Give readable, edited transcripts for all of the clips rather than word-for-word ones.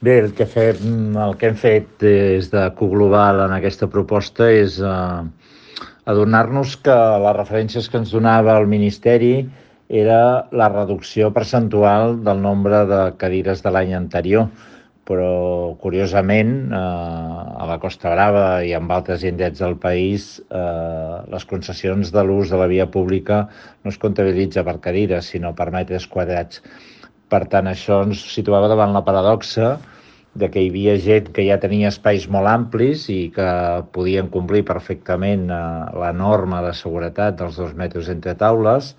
Bé, el que hem fet des de Coglobal en aquesta proposta és adonar-nos que les referències que ens donava el Ministeri era la reducció percentual del nombre de cadires de l'any anterior, però curiosament a la Costa Brava i en altres indrets del país les concessions de l'ús de la via pública no es comptabilitza per cadires, sinó per metres quadrats. Per tant, això ens situava davant la paradoxa de que hi havia gent que ja tenia espais molt amplis i que podien complir perfectament la norma de seguretat dels 2 metres entre taules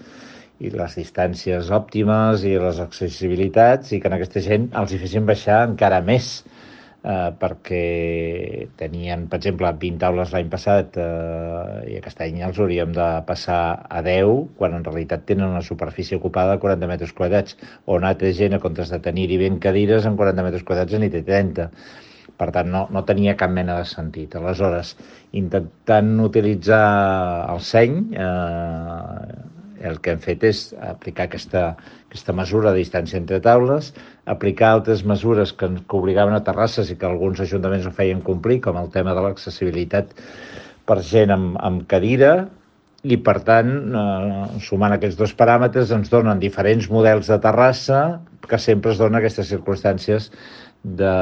i les distàncies òptimes i les accessibilitats, i que a aquesta gent els hi fessin baixar encara més, perquè tenien, per exemple, 20 taules l'any passat i aquest any els hauríem de passar a 10, quan en realitat tenen una superfície ocupada de 40 metres quadrats, on altra gent, a comptes de tenir-hi 20 cadires, en 40 metres quadrats n'hi té 30. Per tant, no tenia cap mena de sentit. Aleshores, intentant utilitzar el seny, el que hem fet és aplicar aquesta mesura de distància entre taules, aplicar altres mesures que obligaven a terrasses i que alguns ajuntaments no feien complir, com el tema de l'accessibilitat per gent amb cadira, i per tant, sumant aquests dos paràmetres, ens donen diferents models de terrassa que sempre es donen aquestes circumstàncies de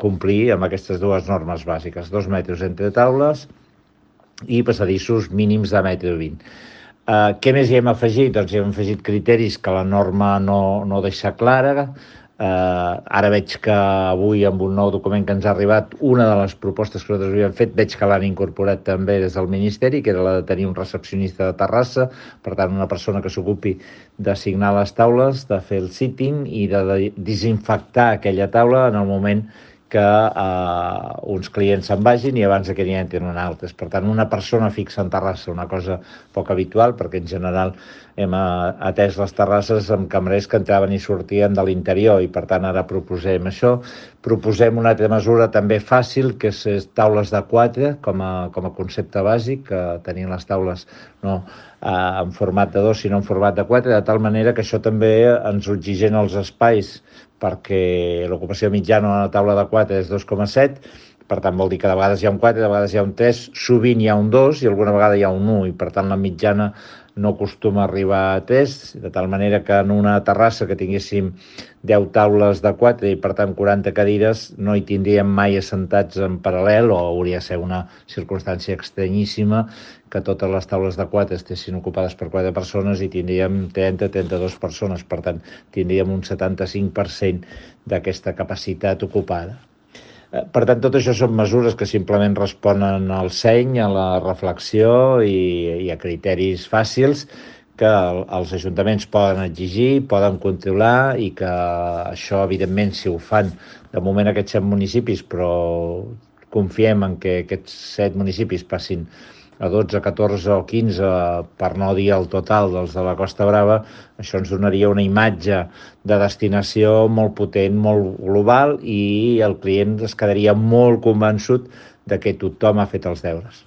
complir amb aquestes dues normes bàsiques, 2 metres entre taules i passadissos mínims de 1,20 m. Què més hi hem afegit? Doncs hi hem afegit criteris que la norma no deixa clara. Ara veig que avui, amb un nou document que ens ha arribat, una de les propostes que nosaltres havíem fet, veig que l'han incorporat també des del Ministeri, que era la de tenir un recepcionista de terrassa, per tant, una persona que s'ocupi d'assignar les taules, de fer el sitting i de desinfectar aquella taula en el moment que uns clients se'n vagin i abans que n'hi entrin altres. Per tant, una persona fixa en terrassa, una cosa poc habitual, perquè en general hem atès les terrasses amb cambrers que entraven i sortien de l'interior, i per tant ara proposem això. Proposem una altra mesura també fàcil, que és taules de 4 com a concepte bàsic, que tenien les taules no en format de 2 sinó en format de 4, de tal manera que això també ens oxigena els espais, perquè l'ocupació mitjana a una taula de 4 és 2,7, per tant vol dir que de vegades hi ha un 4, de vegades hi ha un 3, sovint hi ha un 2 i alguna vegada hi ha un 1, i per tant la mitjana no acostuma a arribar a 3, de tal manera que en una terrassa que tinguéssim 10 taules de 4 i per tant 40 cadires no hi tindríem mai assentats en paral·lel, o hauria de ser una circumstància estranyíssima que totes les taules de 4 estessin ocupades per 4 persones i tindríem 30-32 persones, per tant tindríem un 75% d'aquesta capacitat ocupada. Per tant, tot això són mesures que simplement responen al seny, a la reflexió i a criteris fàcils que els ajuntaments poden exigir, poden controlar, i que això, evidentment, si ho fan de moment aquests 7 municipis, però confiem en que aquests 7 municipis passin a 12, 14 o 15, per no dir el total dels de la Costa Brava, això ens donaria una imatge de destinació molt potent, molt global, i el client es quedaria molt convençut de que tothom ha fet els deures.